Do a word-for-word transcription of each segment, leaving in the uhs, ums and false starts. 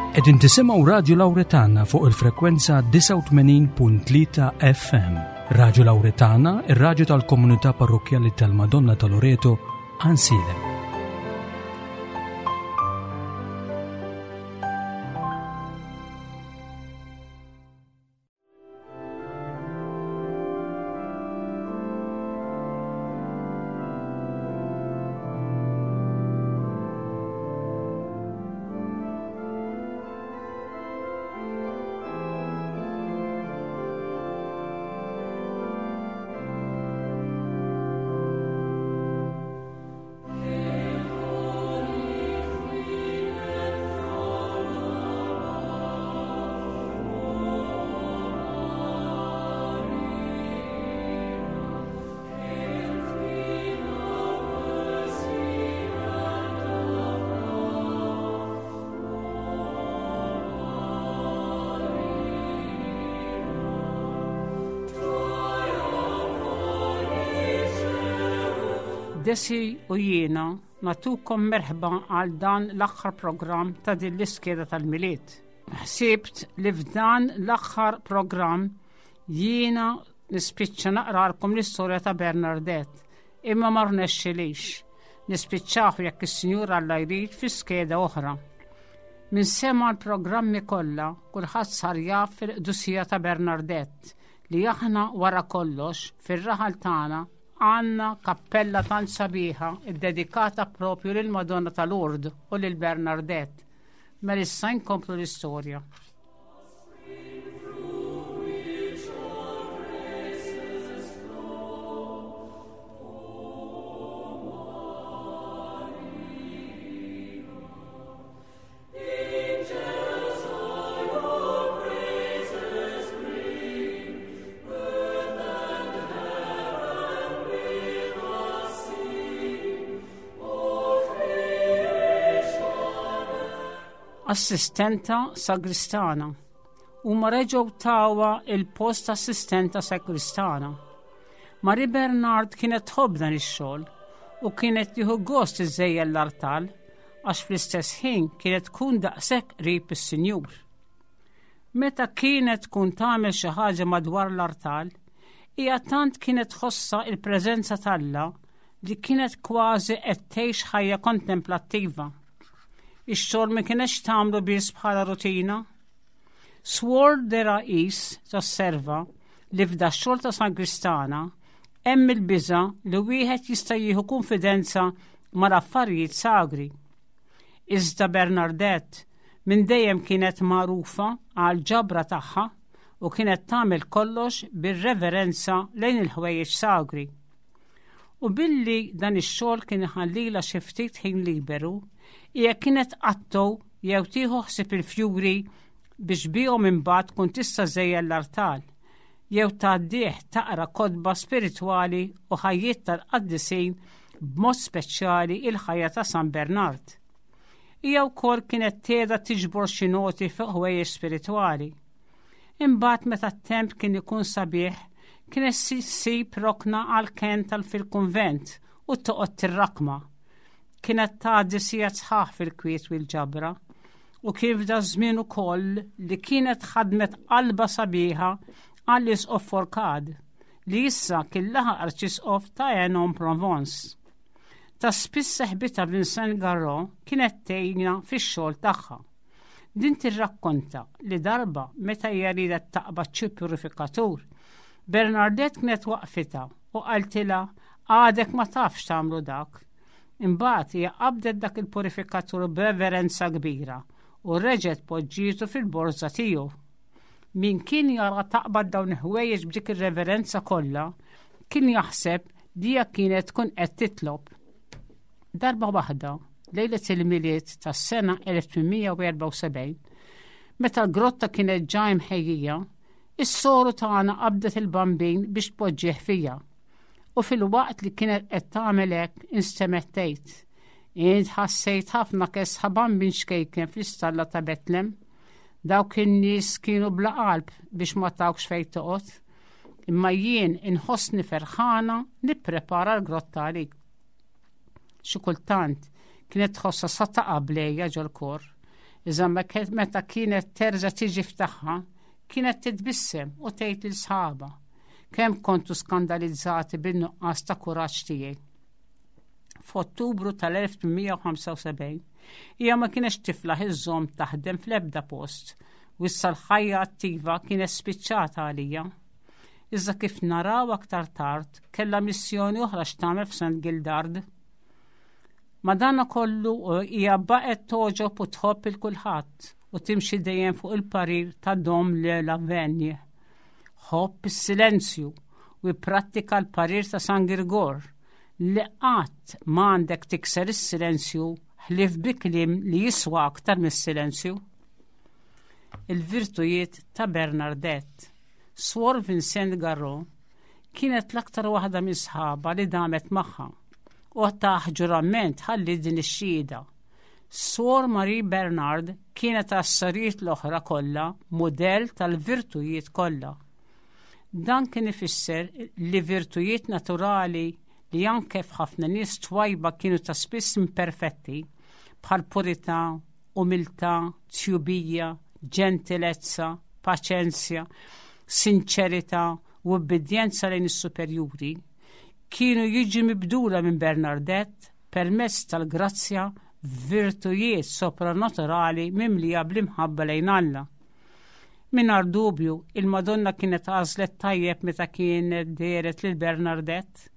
Qegħdin tisimgħu Radio Lauretana fuq il-frekwenza disgħa u tmenin punt tlieta F M. Radio Lauretana, ir-radju tal-komunità parrokjali tal-Madonna ta' Loreto, Għajnsielem. Desi u jiena nagħtukom merħba għal dan l-aħħar programm ta' din l-iskeda tal-Milied. Ħsibt li f'dan l-aħħar programm jiena nispiċċa naqralkom l-istorja ta' Bernadette, imma ma rnexxilix. Nispiċċaw jekk is-Sinjur Alla jrid fi skeda oħra. Min sema l-programmi kollha, kulħadd sar jaf fil-qdusija ta' Bernadette li aħna wara kollox fir-raħal tagħna għandna kappella tant sabiħa iddedikata propju lil Madonna ta' Lourdes u lil Bernadette. Mela issa nkomplu l-istorja. Assistenta sagristana u ma reġgħu tawha il-post assistenta sagristana. Marie Bernard kienet tħobb dan ix-xogħol u kienet tieħu gost iżejjen l-artal għax fl-istess ħin kienet tkun daqshekk qrib is-Sinjur. Meta kienet tkun tagħmel xi ħaġa madwar l-artal, hija tant kienet tħossha il-preżenza t'Alla li kienet kważi qed tgħix ħajja kontemplattiva. Ix-xogħol ma kienx tagħmlu biss bħala rutina. Suor de Rais tosserva li f'da xogħol ta' sagristana hemm il-biża li wieħed jista' jieħu konfidenza mal-affarijiet sagri. Iżda Bernadette minn dejjem kienet magħrufa għal ġabra tagħha u kienet tagħmel kollox bir-reverenza lejn il-ħwejjeġ sagri. U billi dan ix-xogħol kien iħallilha xi ftit ħin liberu, hija kienet tqattgħu jew tieħu ħsieb il-fjuri biex bihom imbagħad tkun tista' żejjen l-artal, jew tgħaddih taqra kotba spiritwali u ħajjiet tal-qaddisin, b'mod speċjali il-ħajja ta' San Bernard. Hija wkoll kienet tgħida tiġbor xi noti fuq ħwejjeġ spiritwali. Imbagħad meta t-temp kien ikun sabiħ, kienet ssib rokna għal kenn tal fil-kunvent u toqgħod tirrakma. Kienet tgħaddi sigħat sħaħ fil-kwiet u l-ġabra u kif da żmien ukoll li kienet ħadmet qalba sabiħa għall-isqof Forcade li issa kien laħaq arċisqof ta' Aix-en-Provence. Ta' spiss seħbitha Vincent Garro kienet tgħinha fix-xogħol tagħha. Din tirrakkonta li darba meta hija riedet taqbad xi purifikatur, Bernadette kienet waqfitha u qaltilha: "Għadek ma tafx tagħmlu dak." Imbagħad hija qabdet dak il-purifikatur b'reverenza kbira u reġgħet poġġietu fil-borża tiegħu. Min kien jara taqbad dawn il-ħwejjeġ b'dik ir-reverenza kollha, kien jaħseb li hija kienet tkun qed titlob. Darba waħda, lejlet il-Milied tas-sena elf tmien mija u erbgħa u sebgħin, meta l-grotta kienet ġa imħejjija, is-soru tagħna qabdet il-Bambin biex tpoġġih fija. U fil-waqt li kienet qed tagħmel hekk instemgħet tgħid: "Int ħassejt ħafna kesħa, Bambin ċkejken fl-istalla ta' Betlem. Dawk in-nies kienu bla qalb biex ma tawkx fejn toqgħod. Imma jien inħossni ferħana nipprepara l-grotta għalik." Xi kultant kienet tħossha sa taqa' bl-għeja ġol-kor. Iżda meta kienet terġa' tiġi f'tagħha, kienet titbissem u tgħid lil sħabha kemm kontu skandalizzati bin-nuqqas ta' kuraġġ tiegħi. F'Ottubru tal-elf tmien mija u ħamsa u sebgħin hija ma kienx tiflaħ iżżomm taħdem fl-ebda post u issa l-ħajja attiva kienet spiċċata għalija. Iżda kif naraw aktar tard, kellha missjoni oħra x'tagħmel f'Saint Gildard. Madana kollu hija baqgħet togħġob u tħobb il kulħadd u timxi dejjem fuq il-parir ta' Dom Le Lavenje. Ħobb is-silenzju u ipprattika l-parir ta' San Girgor li qatt m'għandek tikser is-silenzju ħlief bi kliem li jiswa aktar mis-silenzju. Il-virtujiet ta' Bernadette. Swor Vincent Garro kienet l-aktar waħda minn sħaba li damet magħha u taħt ġurament ħalli din ix-xhieda. Swor Marie Bernard kienet għas-sorijiet l-oħra kollha modell tal-virtujiet kollha. Dan kien ifisser li virtujiet naturali li anke f'ħafna nies twajba kienu ta' spiss imperfetti, bħal purità, umiltà, tjubija, ġentilezza, paċenzja, sinċerità u obbedjenza lejn is-superjuri, kienu jiġi mibdula minn Bernadette permezz tal-grazzja virtujiet sopranaturali mimlija bl-imħabba lejn Alla. Mingħajr dubju, il-Madonna kienet għażlet tajjeb meta kienet dehret lil Bernadette.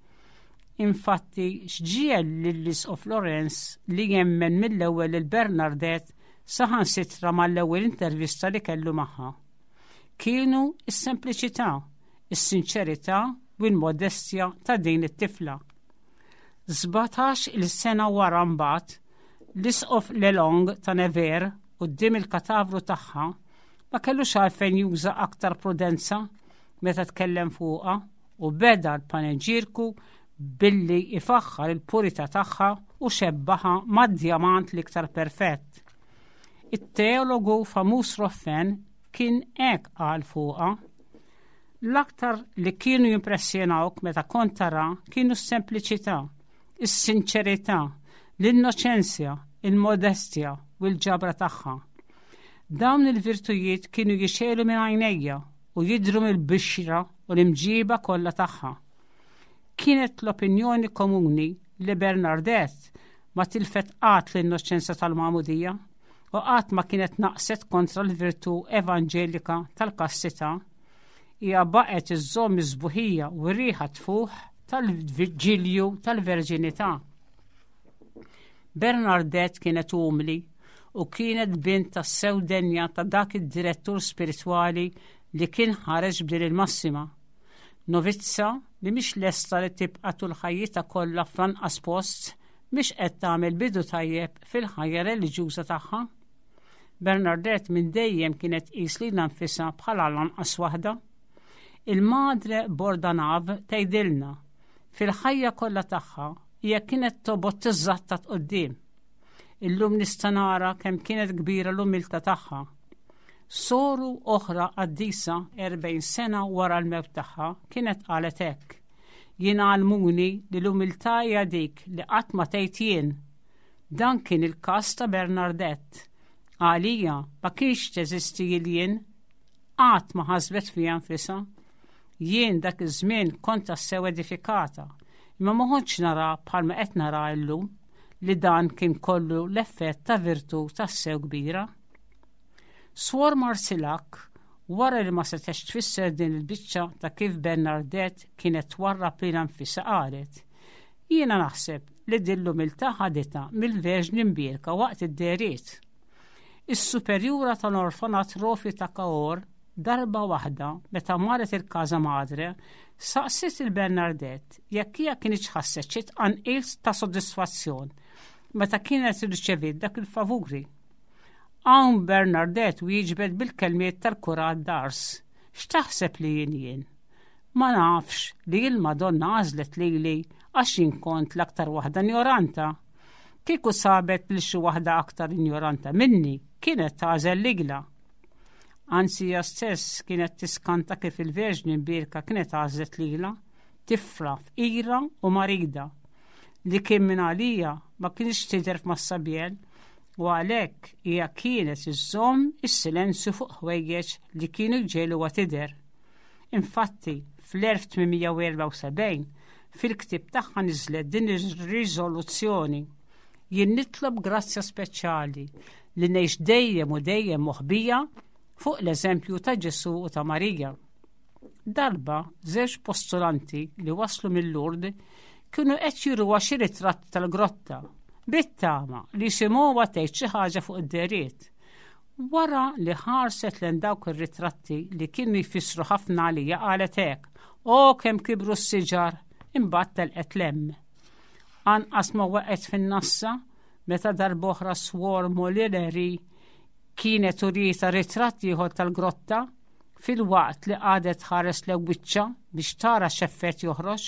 Infatti, x'ġiegħel lill-Isqof Lorenz li jemmen mill-ewwel lil Bernadette saħansitra mal-ewwel intervista li kellu magħha? Kienu is-sempliċità, is-sinċerità u l-modestja ta' din it-tifla. Sbatax il-sena wara mbagħad, l-Isqof Lelong ta' Nevers quddiem il-katavru tagħha ma kellux għalfejn juża aktar prudenza meta tkellem fuqha u beda l-paneġirku billi ifaħħar il-purità tagħha u xebbaha mad-djamant l-iktar perfett. It-teologu famuż Ruffin kien hekk qal fuqha: "L-aktar li kienu jimpressjonawk meta kont tara kienu s-sempliċità, is-sinċerità, l-innoċenzja, il-modestja u l-ġabra tagħha. Dawn il-virtujiet kienu jixegħlu minn għajnejja u jidhru mill-bixra u l-imġiba kollha tagħha." Kienet l-opinjoni komuni li Bernadette ma tilfet qatt l-innoċenza tal-magħmudija u qatt ma kienet naqset kontra l-virtu evanġelika tal-kastità. Hija baqgħet iżżomm is-sbuħija u r-riħa tfuħ tal-ġilju tal-verġinità. Bernadette kienet umli u kienet bint tassew denja ta' dak id-direttur spiritwali li kien ħareġ b'din il-massima: "Novizza li mhix lesta li tibqa' tul ħajjitha kollha fl-anqas post mhix qed tagħmel bidu tajjeb fil-ħajja reliġjuża tagħha." Bernadette minn dejjem kienet tqis lilha nfisha bħala l-anqas waħda. Il-Madre Bordanav tgħidilna: "Fil-ħajja kollha tagħha hija kienet tobgħod tiżżattat quddiem. Illum nista' nara kemm kienet kbira l-umiltà tagħha." Soru oħra qaddisa erbgħin sena wara l-mewt tagħha kienet qalet hekk: "Jien għallmuni li l-umiltà hija dik li qatt ma tgħid jien. Dan kien il-każ ta' Bernadette. Għalija ma kienx teżisti il-jien, qatt ma ħasbet fija nfisha. Jien dak iż-żmien kont tassew edifikata, imma ma kontx nara bħalma qed nara llum li dan kien kollu l-effett ta' virtu tassew kbira." Swor Marsilak, wara li ma setgħetx tfisser din il-biċċa ta' kif Bernadette kienet twarrab lilha nfisha, qalet: "Jiena naħseb li din l-umiltà ħaditha mill-Verġni Mbierka waqt id-dehriet." Is-superjura tal-orfanatrofju ta' Cahors darba waħda meta marret il-Casa Madre saqsiet lil Bernadette jekk hija kienx ħasset xi tqanqil ta' sodisfazzjon meta kienet irċeviet dak il-favuri. Hawn Bernadette wieġbet bil-kelmiet tal-kurat d'Ars: "X'taħseb li jien jien? Ma nafx li il-Madonna għażlet lili għax jien kont l-aktar waħda ignoranta. Kieku sabet li xi waħda aktar ignoranta minni, kienet tagħżel lilha." Anzi, hija stess kienet tiskanta kif il-Verġni Mbierka kienet għażlet lilha, tifla fqira u marida, li kien minn għalija ma kienx tidher f'Massabielle U għalhekk hija kienet iżżomm is-silenzju fuq ħwejjeġ li kienu jġegħluha tidher. Infatti, fl-elf tmien mija u erbgħa u sebgħin fil-ktib tagħha niżlet din ir-riżoluzzjoni: "Jien nitlob grazzja speċjali li ngħix dejjem u dejjem moħbija fuq l-eżempju ta' Ġesu u ta' Marija." Darba żewġ postulanti li waslu mill-Lourdes kienu qed juruha xi ritratt tal-grotta bit-tama li jisimgħuha tgħid xi ħaġa fuq id-dehriet. Wara li ħarset lejn dawk ir-ritratti li kienu jfissru ħafna għalija, qalet hekk: "O, kemm kibru s-siġar!" Imbagħad telqet 'l hemm. Anqas ma waqgħet fin-nassa meta darb'oħra Swor Molileri kienet urietha ritratt ieħor tal-grotta filwaqt li qagħdet tħares lejn wiċċha biex tara x'effett joħroġ.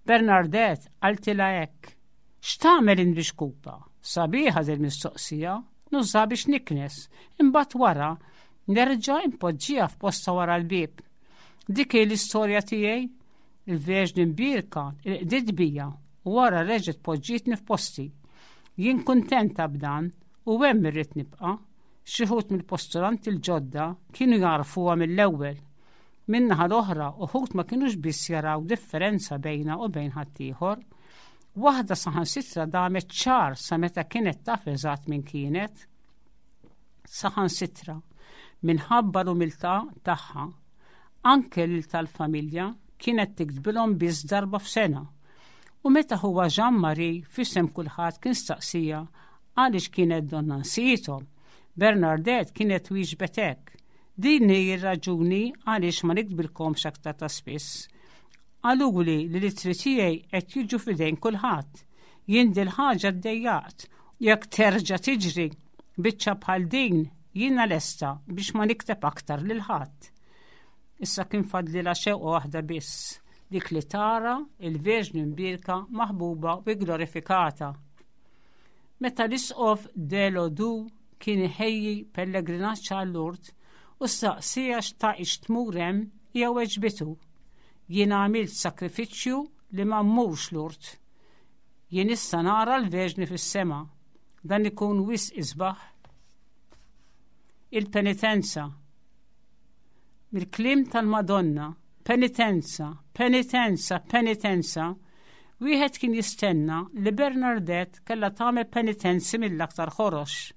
Bernadette qaltilha hekk: "X'tagħmel int bi xkupa?" "Sabiħa dil mistoqsija, nużaha biex niknes, imbagħad wara nerġa' impoġġiha f'postha wara l-bieb. Dik hi l-istorja tiegħi. Il-Verġni Mbierka qdiet bija u wara reġgħet poġġietni f'posti. Jien kuntenta b'dan u hemm irrid nibqa'." Xi wħud mill-postulanti l-ġodda kienu jafuha mill-ewwel. Min-naħa l-oħra, uħud ma kienux biss jaraw differenza bejnha u bejn ħaddieħor. Waħda saħansitra damet xahar sa meta kienet taf eżatt min kienet. Saħansitra, minħabba l-umiltà tagħha, anke lil tal-familja kienet tiktbilhom biss darba f'sena. U meta ħuha Jean Marie f'isem kulħadd kien staqsiha għaliex kienet donnha nsiethom, Bernadette kienet wieġbet hekk: "Din hi r-raġuni għaliex ma niktbilkomx aktar ta' spiss. Qaluli li l-ittri tiegħi qed jiġu f'idejn kulħadd. Jien dil-ħaġa ddejjaqt. Jekk terġa' tiġri biċċa bħal din, jiena lesta biex ma nikteb aktar lil ħadd." Issa kien fadlilha xewqa waħda biss, dik li tara il-Verġni Mbierka maħbuba u glorifikata. Meta l-isqof de Lodu kien iħejji pellegrinaġġ għal Lourdes u staqsiha xtaqitx tmur hemm, hija weġbitu: "Jien għamilt sakrifiċċju li ma mmurx Lourdes. Jien issa nara l-Verġni fis-sema. Dan ikun wisq isbaħ." Il-penitenza. Mill-kliem tal-Madonna, "penitenza, penitenza, penitenza", wieħed kien jistenna li Bernadette kellha tagħmel penitenzi mill-aktar ħorox.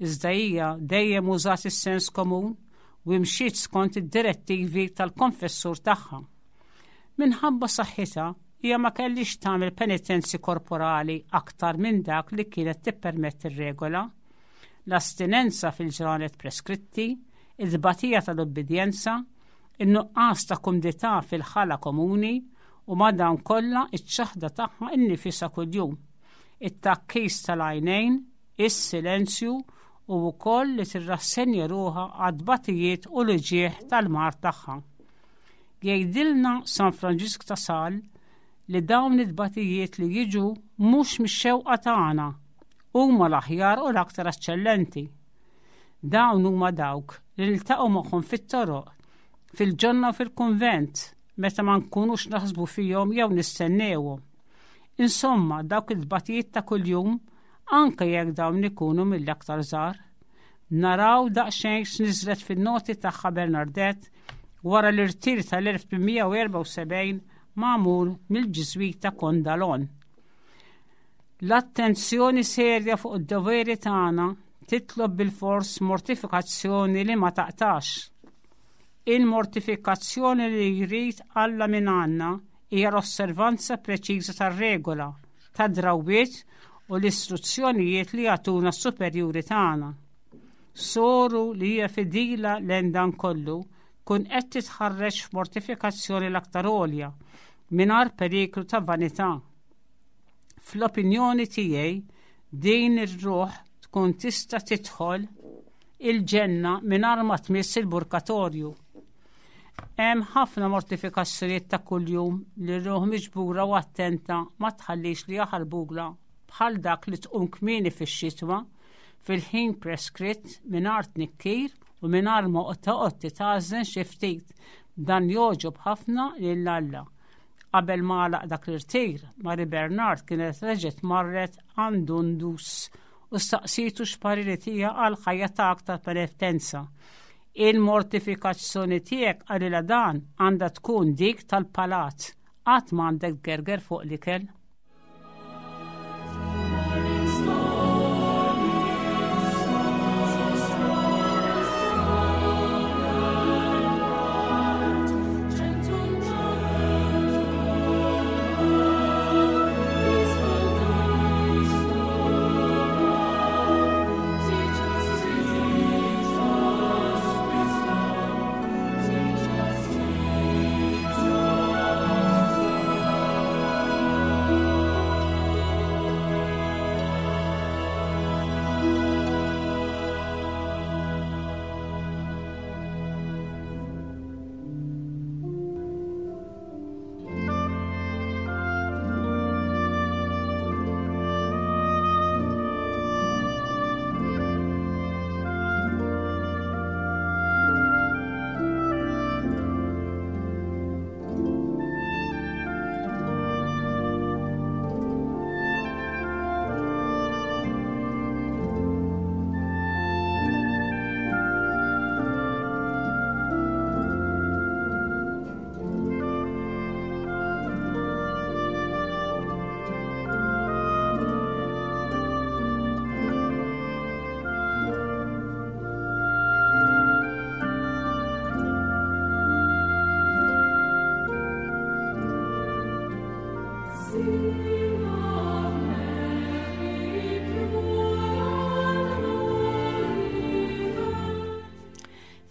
Iżda hija dejjem użat is-sens komun u imxiet skont id-direttivi tal-konfessur tagħha. Minħabba saħħitha, hija ma kellix tagħmel penitenzi korporali aktar minn dak li kienet tippermetti r-regola: l-astinenza fil-ġranet preskritti, il-batija tal-obbedjenza, in-nuqqas ta' kumdità fil-ħala komuni u ma' dawn kollha iċ-ċaħda tagħha innifisha kuljum, it-tgħakkis tal-għajnejn, is-silenzju u wkoll li tirrassenja ruħha għat-tbatijiet u l-uġigħ tal-mard tagħha. Jgħidilna San Franġisk ta' Sales li dawn it-tbatijiet li jiġu mhux mix-xewqa tagħna huma l-aħjar u l-aktar eċċellenti. Dawn huma dawk li niltaqgħu magħhom fit-toroq, fil-ġonna u fil-kunvent, meta ma nkunux naħsbu fihom jew nistennewhom. Insomma, dawk il-tbatijiet ta' kuljum, anke jekk dawn ikunu mill-aktar żgħar. Naraw daqsxejn x'niżlet fin-noti tagħha Bernadette wara l-irtir tal-elf tmien mija u erbgħa u sebgħin magħmul mill-Ġiżwita Condalon. "L-attenzjoni serja fuq id-doveri tagħna titlob bil-fors mortifikazzjoni li ma taqtax. Il-mortifikazzjoni li jrid Alla minn għandna hija l-osservanza preċiża tar-regola, tad-drawwiet u l-istruzzjonijiet li jagħtuna s-superjuri tagħna. Soru li hija fidila lejn dan kollu tkun qed titħarreġ f'mortifikazzjoni l-aktar għolja mingħajr periklu ta' vanità. Fl-opinjoni tiegħi, din ir-ruħ tkun tista' tidħol il-ġenna mingħajr ma tmiss il-purgatorju. Hemm ħafna mortifikazzjonijiet ta' kuljum li ruħ miġbura u attenta ma tħallix li jaħarbulha, bħal dak li tqum kmieni fix-xitwa fil-ħin preskritt mingħajr tnikkir u mingħajr ma toqgħod titgħażżen xi ftit. Dan jogħġob ħafna lil Alla." Qabel ma għalaq dak l-irtir, Marie Bernard kienet reġgħet marret għand Dundus u staqsietu x'parir itiha għal ħajja ta' aktar penitenza. Il-mortifikazzjoni tiegħek, qalilha dan, għandha tkun dik tal-palat. Qatt m'għandek tgerger fuq l-ikel.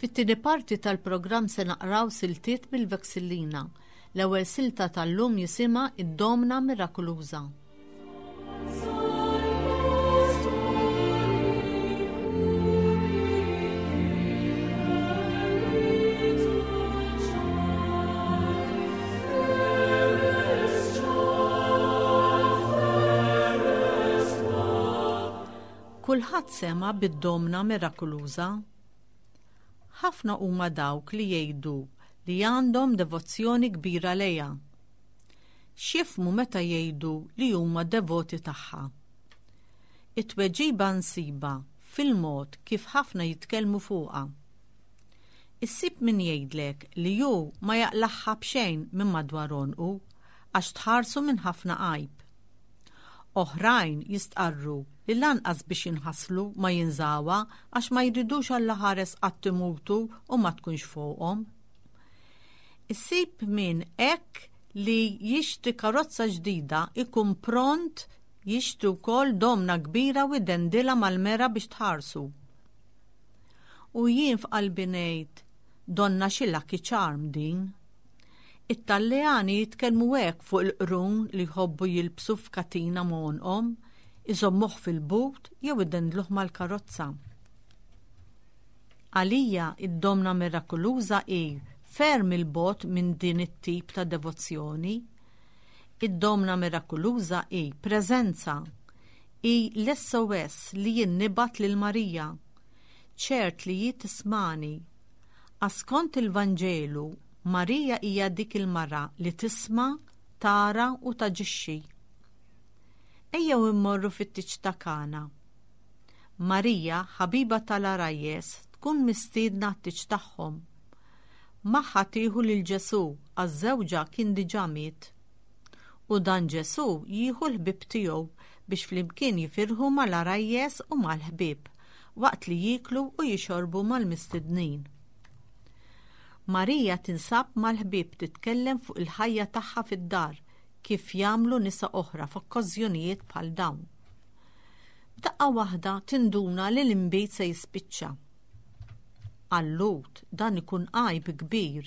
Fit-tieni parti tal-programm se naqraw siltiet mill-Vexillina. L-ewwel silta tal-lum jisimha Id-Domna Mirakoluża. Kulħadd sema' bid-Domna Mirakoluża. Ħafna huma dawk li jgħidu li għandhom devozzjoni kbira lejha. X'jifhmu meta jgħidu li huma devoti tagħha? It-tweġiba nsibha fil-mod kif ħafna jitkellmu fuqha. Issib min jgħidlek li hu ma jaqlaħħa b'xejn minn madwar għonqu għax tħarsu minn ħafna għajb. Oħrajn jistqarru li lanqas biex jinħaslu ma jinżawha għax ma jridux Alla ħares qatt imutu u ma tkunx fuqhom. Issib min hekk li jixtri karozza ġdida ikun pront jixtri wkoll domna kbira u jdendilha mal-mera biex tħarsu. U jien f'qalbi ngħid, donna xi lucky charm din. It-Taljani jitkellmu hekk fuq il-qrun li jħobbu jilbsu f'katina m'għonqhom, iżommuh fil-but jew idendluh mal-karozza. Għalija id-Domna Mirakoluża hi ferm il-bogħod minn din it-tip ta' devozzjoni. Id-Domna Mirakoluża hi preżenza, hi l-S O S li jien nibgħat lil Marija. Ċert li hi tismani. Għax skont il-Vanġelu, Marija hija dik il-mara li tisma', tara u taġixxi. Ejjew immorru fit-tieġ ta' Kana. Marija, ħabiba tal-għarajjes, tkun mistiedna għat-tieġ tagħhom. Magħha tieħu lil Ġesù għax żewġha kien diġà miet. U dan Ġesù jieħu l-ħbieb tiegħu biex flimkien jifirħu mal-għarajjes u mal-ħbieb waqt li jieklu u jixorbu mal-mistednin. Marija tinsab mal-ħbieb titkellem fuq il-ħajja tagħha fid-dar kif jagħmlu nisa oħra f'okkażjonijiet bħal dawn. F'daqqa waħda tinduna li l-inbid se jispiċċa. Għal-Lhud dan ikun għajb kbir.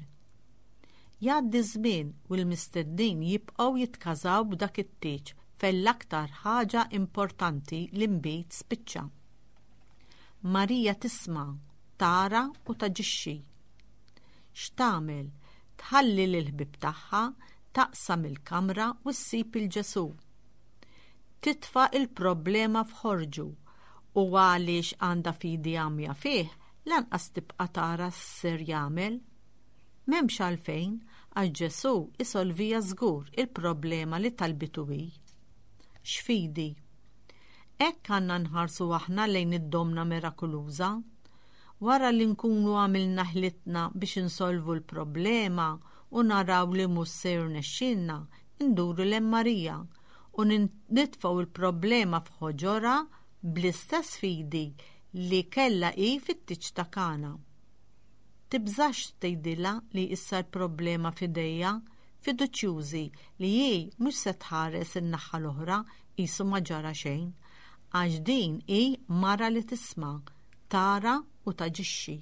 Jgħaddi żmien u l-mistednin jibqgħu jitkażaw b'dak it-tieġ fejn l-aktar ħaġa importanti l-inbid spiċċa. Marija tisma', tara u taġixxi. X'tagħmel? Tħalli lill-ħbieb tagħha, taqsam il-kamra u ssib il-Ġesù. Titfa' il-problema f'ħorġu u għaliex għandha fidi għamja fih, lanqas tibqa' tara x'ser jagħmel. M'hemmx għalfejn, għax Ġesù isolvija żgur il-problema li talbitu hi. X'fidi? Hekk għandna nħarsu aħna lejn id-Domna Mirakoluża. Wara li nkunu għamilna ħlitna biex insolvu l-problema u naraw li mhux se jirnexxilna, induru lejn Marija u nitfgħu l-problema f'ħoġorha bl-istess fidi li kellha hi fit-tieġ ta' Kana. Tibżax tgħidilha li issa l-problema f'idejha, fiduċjużi li hi mhux se tħares in-naħa l-oħra qisu ma ġara xejn, għax din hi mara li tisma', tara u taġixxi.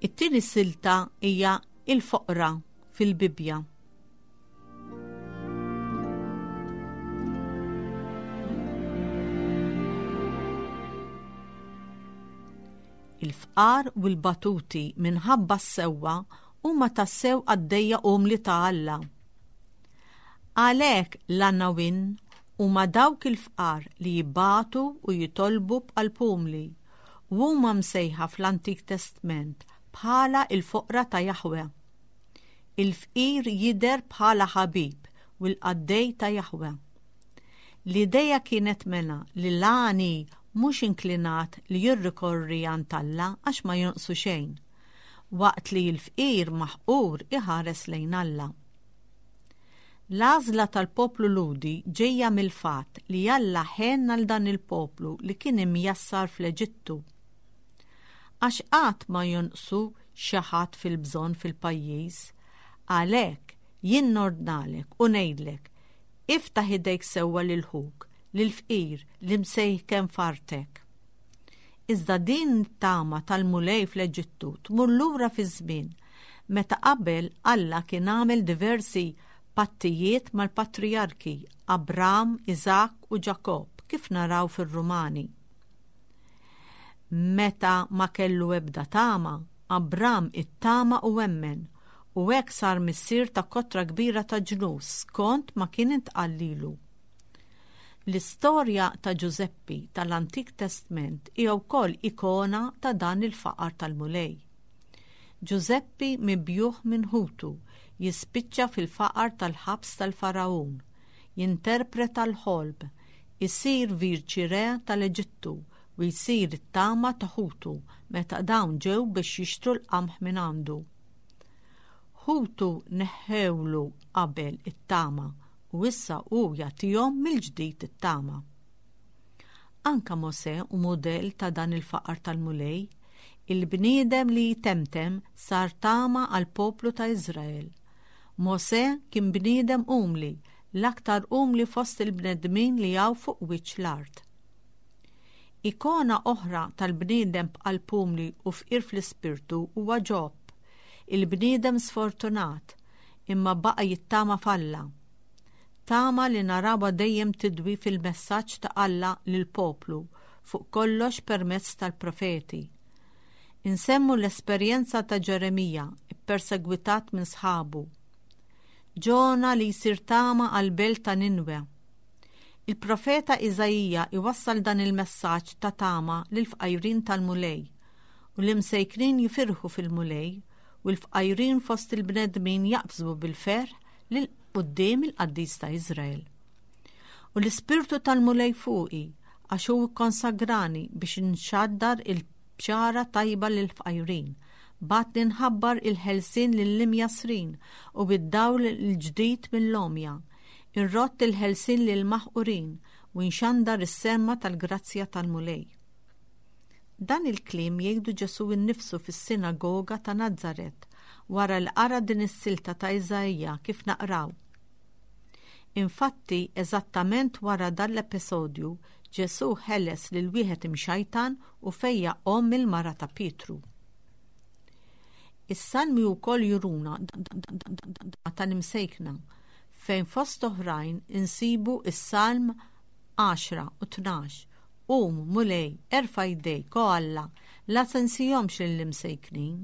It-tieni silta hija il-foqra fil-Bibbja. Il-fqar u l-batuti minħabba s-sewwa huma tassew qaddejja umli ta' Alla. Għalhekk l-għanawin huma dawk il-fqar li jibatu u jitolbu b'qalb umli u huma msejħa fl-Antik Testment bħala il-foqra ta' Jahwe. Il-fqir jidher bħala ħabib u l-qaddej ta' Jahwe. L-ideja kienet mela li l-għani mhux inklinat li jirrikorri għand Alla għax ma jonqsu xejn, waqt li l-fqir maħqur iħares lejn Alla. L-għażla tal-poplu Lhudi ġejja mill-fatt li Alla ħen għal dan il-poplu li kien imjassar fl-Eġittu. Għax qatt ma jonqsu xi ħadd fil-bżonn fil-pajjiż, għalhekk jien nordnalek u ngħidlek, iftaħ idejk sewwa lil ħuk, lill-fqir li msejken f'artek. Iżda din it-tama tal-Mulej fl-Eġittu tmur lura fiż-żmien meta qabel Alla kien għamel diversi pattijiet mal-patrijarki Abram, Iżakk u Ġakobb, kif naraw fir-Rumani. Meta ma kellu ebda tama, Abram ittama u emmen, u hekk sar missier ta' kotra kbira ta' ġnus skont ma kien intqal lilu. L-istorja ta' Ġużeppi tal-Antik Testment hija wkoll ikona ta' dan il-faqar tal-Mulej. Ġużeppi mibjuħ minn ħutu jispiċċa fil-faqar tal-ħabs tal-Faraun, jinterpreta l-ħolm, isir viċi-re tal-Eġittu u jsir it-tama ta' ħutu meta dawn ġew biex jixtru l-qamħ minn għandu. Ħutu neħħewlu qabel it-tama u issa hu jagħtihom mill-ġdid it-tama. Anka Mosè hu mudell ta' dan il-faqar tal-Mulej, il-bniedem li jitemtem sar tama għal poplu ta' Iżrael. Mosè kien bniedem umli, l-aktar umli fost il-bnedmin li hawn fuq wiċċ l-art. Ikona oħra tal-bniedem b'qalb umli u fqir fl-ispirtu huwa Ġob, il-bniedem sfortunat, imma baqa' jittama f'Alla. Tama li narawha dejjem tidwi fil-messaġġ ta' Alla lill-poplu, fuq kollox permezz tal-profeti. Insemmu l-esperjenza ta' Ġeremija, ippersegwitat minn sħabu. Ġona li jsir tama għal-belt ta' Ninwe. Il-profeta Iżaija iwassal dan il-messaġġ ta' tama lill-fqajrin tal-Mulej, u l-imsejknin jifirħu fil-Mulej, u l-fqajrin fost il-bnedmin jaqbżu bil-ferħ lil quddiem il-qaddis ta' Iżrael. U l-ispirtu tal-Mulej fuqi, għax hu kkonsagrani biex nxaddar il-bxara tajba lill-fqajrin, bagħatni nħabbar il-ħelsien lill-imjassrin u bid-dawl il-ġdid mill-għomja, irrott il-ħelsien lill-maħqurin u nxandar is-semma tal-grazzja tal-Mulej. Dan il-kliem jgħidu Ġesù innifsu fis-sinagoga ta' Nazaret wara li qara din is-silta ta' Iżaija kif naqraw. Infatti, eżattament wara dan l-episodju, Ġesù ħeles lil wieħed imxajtan u fejjaq omm il-mara ta' Pietru. Is-salmi wkoll juruna tal-imsejkna fejn fost oħrajn insibu is-Salm għaxra u tnax. Qum, Mulej, erfa' jdejk, o Alla, la tinsihomx lill-imsejknin.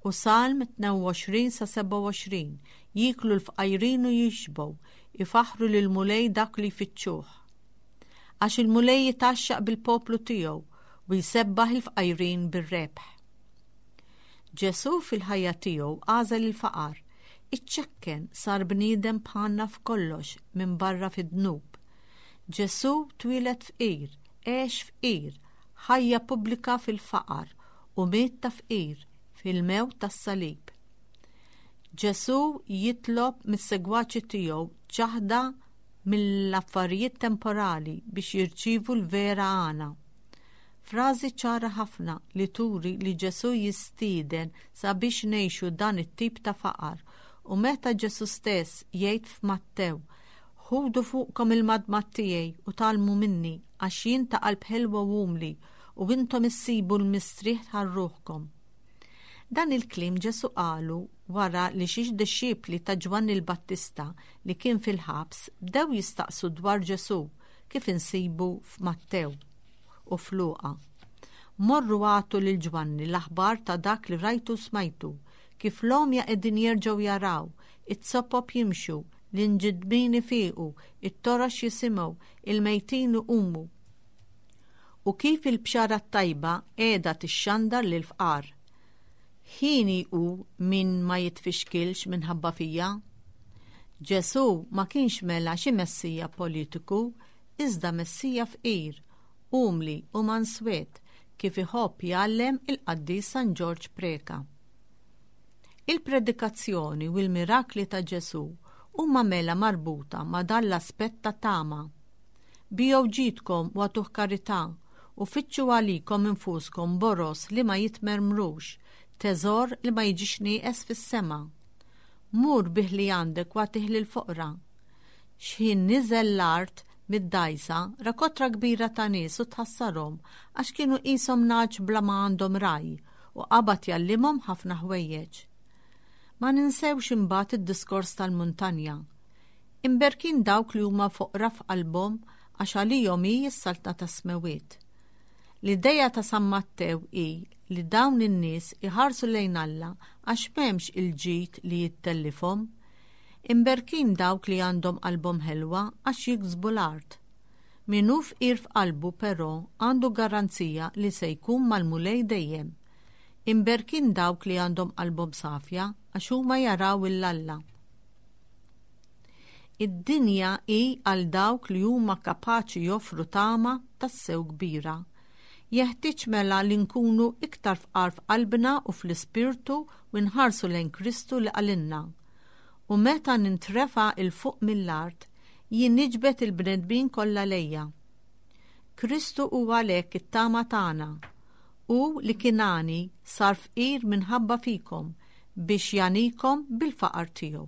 U Salm tnejn u għoxrin sa sebgħa u għoxrin, jieklu l-fqajrin u jixbgħu, ifaħħru lill-Mulej dak li jfittxuh. Għax il-Mulej jitgħaxxaq bil-poplu tiegħu u jsebbaħ il-fqajrin bir-rebħ. Ġesù fil-ħajja tiegħu għażel il-faqar, iċċekken sar bniedem bħalna f'kollox minn barra fid-dnub. Ġesù twieled fqir, għex fqir, ħajja pubblika fil-faqar u miet ta' fqir fil-mewt tas-salib. Ġesù jitlob mis-segwaċi tiegħu ċaħda mill-affarijiet temporali biex jirċievu l-vera għana. Frażi ċara ħafna li turi li Ġesù jistieden sabiex ngħixu dan it-tip ta' faqar, u meta Ġesù stess jgħid f'Mattew, Ħudu fuqkom il-madmad tiegħi u tgħallmu minni, għax jien ta' qalb ħelwa u umli, u intom issibu l-mistrieħ għal ruħkom. Dan il-kliem Ġesù qalu wara li xi dixxipli ta' Ġwanni l-Battista li kien fil-ħabs bdew jistaqsu dwar Ġesù kif insibu f'Mattew u f'Luqa. Morru għatu lil Ġwanni l-aħbar ta' dak li rajtu smajtu, kif l-għomja qegħdin jerġgħu jaraw, it-sopop jimxu, l-inġidbin ifiqu, it-torox jisimgħu, il-mejtin iqumu. U kif il-bxara t-tajba qiegħda tixxandar lil fqar. Ħini hu min ma jitfixkilx minħabba fija. Ġesù ma kienx mela xi messija politiku, iżda messija fqir, umli u manswet, kif iħobb jgħallem il-qaddis San Ġorġ Preka. Il-predikazzjoni u l-mirakli ta' Ġesù huma mela marbuta ma' dan l-aspett ta' tama. Biegħu ġidkom u agħtuh karità u fittxu għalikom infuskom boros li ma jitmermrux, teżor li ma jiġix nieqes fis-sema. Mur bih li għandek u agħtih lill-foqra. X'ħin niżel l-art mid-dgħajsa, ra kotra kbira ta' nies u tħassarhom għax kienu qishom nagħaġ bla ma għandhom raj, u qabad jgħallimhom ħafna ħwejjeġ. Ma ninsewx imbagħad id-diskors tal-muntanja. Imberkin dawk li huma foqra f'qalbhom għax għalihom hi s-saltna tas-smewiet. L-ideja ta' San Mattew hi li dawn in-nies iħarsu lejn Alla għax m'hemmx il-ġid li jittellifhom. Imberkin dawk li għandhom qalbhom ħelwa għax jiksbu l-art. Min hu fqir f'qalbu però għandu garanzija li se jkun mal-Mulej dejjem. Imberkin dawk li għandhom qalbhom safja għax huma jaraw il-Alla. Id-dinja hi għal dawk li huma kapaċi joffru tama tassew kbira. Jeħtieġ mela li nkunu iktar fqar f'qalbna u fl-ispirtu u nħarsu lejn Kristu li qalilna. U meta nintrefa' 'l fuq mill-art, jien niġbed il-bnedmin kollha lejja. Kristu huwa għalhekk it-tama tagħna. U li kien għani sar fqir minħabba fikom biex jagħnikom bil-faqar tiegħu.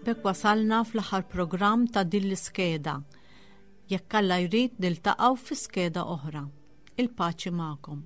B'hekk wasalna fl-aħħar programm ta' din l-iskeda. Jekk Alla jrid niltaqgħu fi skeda oħra. Il-paċi magħkom.